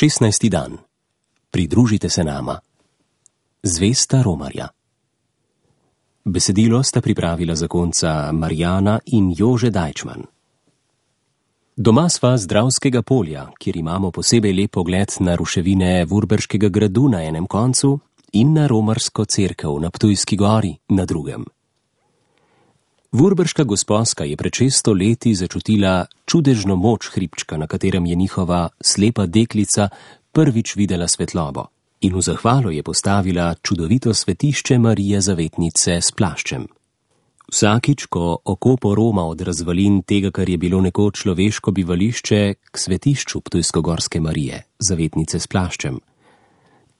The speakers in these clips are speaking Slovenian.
16. dan. Pridružite se nama. Zvesta romarja. Besedilo sta pripravila zakonca Marjana in Jože Dajčman. Doma sva z Dravskega polja, kjer imamo posebej lep pogled na ruševine Vurberškega gradu na enem koncu in na romarsko cerkev na Ptujski gori na drugem. Vurberška gosposka je pred 600 leti začutila čudežno moč hribčka, na katerem je njihova slepa deklica prvič videla svetlobo, in v zahvalo je postavila čudovito svetišče Marije Zavetnice s plaščem. Vsakič, ko oko poroma od razvalin tega, kar je bilo nekoč človeško bivališče, k svetišču Ptujskogorske Marije, Zavetnice s plaščem,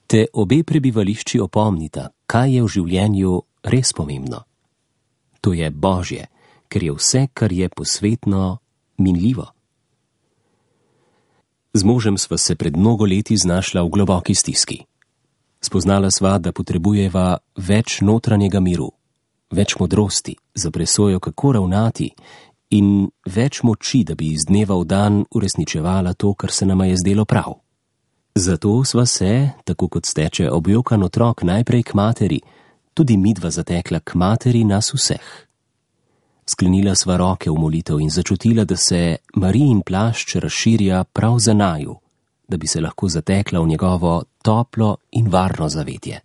te obe prebivališči opomnita, kaj je v življenju res pomembno. To je Božje, ker je vse, kar je posvetno, minljivo. Z možem sva se pred mnogo leti znašla v globoki stiski. Spoznala sva, da potrebujeva več notranjega miru, več modrosti za presojo, kako ravnati, in več moči, da bi iz dneva v dan uresničevala to, kar se nama je zdelo prav. Zato sva se, tako kot steče objokan otrok najprej k materi, tudi midva zatekla k materi nas vseh. Sklenila sva roke v molitev in začutila, da se Marijin plašč razširja prav za naju, da bi se lahko zatekla v njegovo toplo in varno zavetje.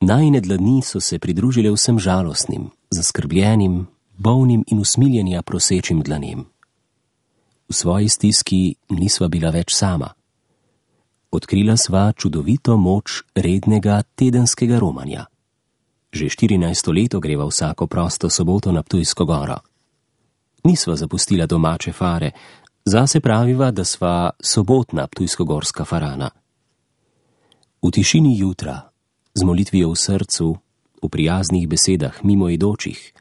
Najine dlani so se pridružile vsem žalostnim, zaskrbljenim, bolnim in usmiljenja prosečim dlanem. V svoji stiski nisva bila več sama. Odkrila sva čudovito moč rednega tedenskega romanja. Že 14. leto greva vsako prosto soboto na Ptujsko goro. Nisva zapustila domače fare, zase praviva, da sva sobotna ptujskogorska farana. V tišini jutra, z molitvijo v srcu, v prijaznih besedah mimoidočih,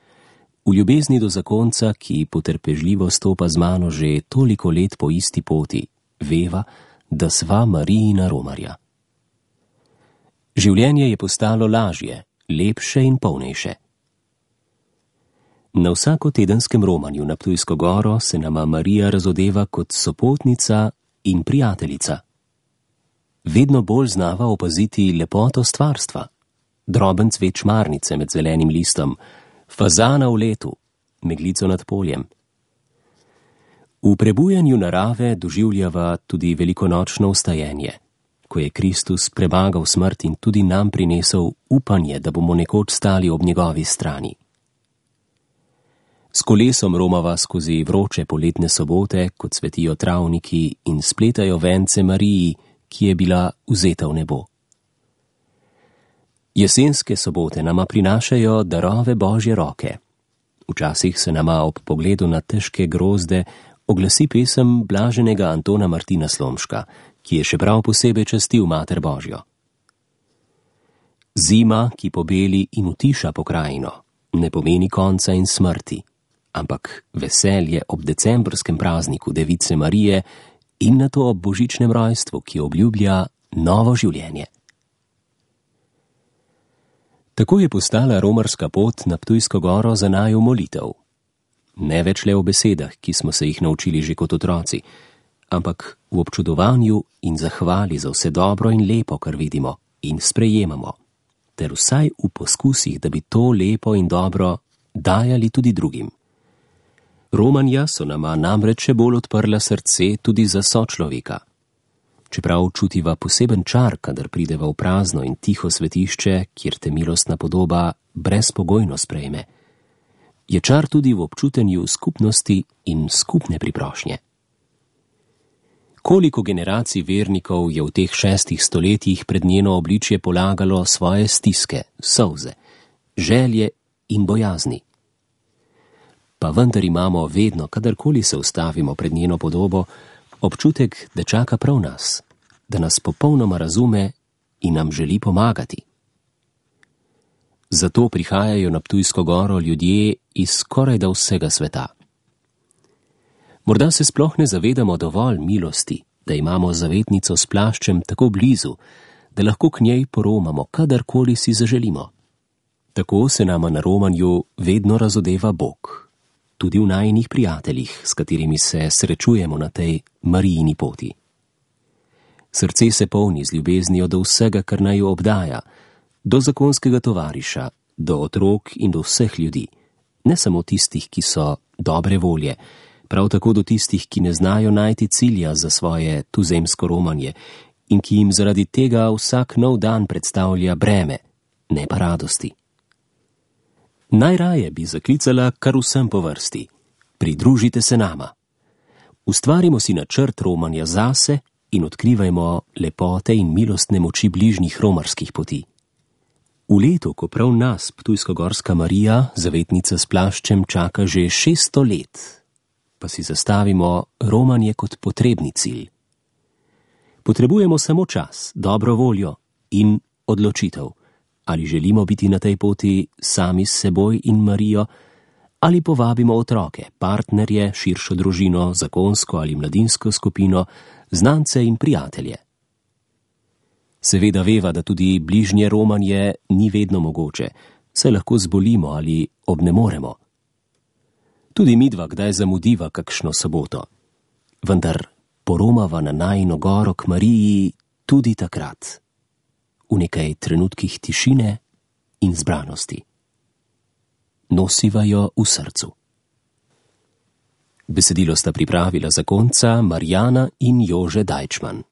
v ljubezni do zakonca, ki potrpežljivo stopa z mano že toliko let po isti poti, veva, da sva Marijina romarja. Življenje je postalo lažje, lepše in polnejše. Na vsakotedenskem romanju na Ptujsko goro se nama Marija razodeva kot sopotnica in prijateljica. Vedno bolj znava opaziti lepoto stvarstva, droben cvet šmarnice med zelenim listom, fazana v letu, meglico nad poljem. V prebujanju narave doživljava tudi velikonočno vstajenje, ko je Kristus premagal smrt in tudi nam prinesel upanje, da bomo nekoč stali ob njegovi strani. S kolesom romava skozi vroče poletne sobote, kot cvetijo travniki in spletajo vence Mariji, ki je bila vzeta v nebo. Jesenske sobote nama prinašajo darove Božje roke. Včasih se nama ob pogledu na težke grozde oglasi pesem blaženega Antona Martina Slomška, ki je še prav posebej častil Mater Božjo. Zima, ki pobeli in utiša pokrajino, ne pomeni konca in smrti, ampak veselje ob decembrskem prazniku Device Marije in nato ob božičnem rojstvu, ki obljublja novo življenje. Tako je postala romarska pot na Ptujsko goro za naju molitev. Ne več le v besedah, ki smo se jih naučili že kot otroci, ampak v občudovanju in zahvali za vse dobro in lepo, kar vidimo in sprejemamo, ter vsaj v poskusih, da bi to lepo in dobro dajali tudi drugim. Romanja so nama namreč še bolj odprla srce tudi za sočloveka. Čeprav čutiva poseben čar, kadar prideva v prazno in tiho svetišče, kjer te milostna podoba brezpogojno sprejme, je čar tudi v občutenju skupnosti in skupne priprošnje. Koliko generacij vernikov je v teh 6 stoletjih pred njeno obličje polagalo svoje stiske, solze, želje in bojazni. Pa vendar imamo vedno, kadarkoli se ustavimo pred njeno podobo, občutek, da čaka prav nas, da nas popolnoma razume in nam želi pomagati. Zato prihajajo na Ptujsko goro ljudje iz skorajda vsega sveta. Morda se sploh ne zavedamo dovolj milosti, da imamo zavetnico s plaščem tako blizu, da lahko k njej poromamo, kadarkoli si zaželimo. Tako se nama na romanju vedno razodeva Bog, tudi v najinih prijateljih, s katerimi se srečujemo na tej Marijini poti. Srce se polni z ljubeznijo do vsega, kar naj jo obdaja, do zakonskega tovariša, do otrok in do vseh ljudi, ne samo tistih, ki so dobre volje, prav tako do tistih, ki ne znajo najti cilja za svoje tuzemsko romanje in ki jim zaradi tega vsak nov dan predstavlja breme, ne pa radosti. Najraje bi zaklicala kar vsem po vrsti. Pridružite se nama. Ustvarimo si načrt romanja zase in odkrivajmo lepote in milostne moči bližnjih romarskih poti. V letu, ko prav nas Ptujsko-Gorska Marija, zavetnica s plaščem, čaka že 600 let, pa si zastavimo romanje kot potrebni cilj. Potrebujemo samo čas, dobro voljo in odločitev, ali želimo biti na tej poti sami s seboj in Marijo, ali povabimo otroke, partnerje, širšo družino, zakonsko ali mladinsko skupino, znance in prijatelje. Seveda veva, da tudi bližnje romanje ni vedno mogoče, saj lahko zbolimo ali obnemoremo. Tudi midva kdaj zamudiva kakšno soboto, vendar poromava na najino goro k Mariji tudi takrat, v nekaj trenutkih tišine in zbranosti. Nosiva jo v srcu. Besedilo sta pripravila zakonca Marjana in Jože Dajčman.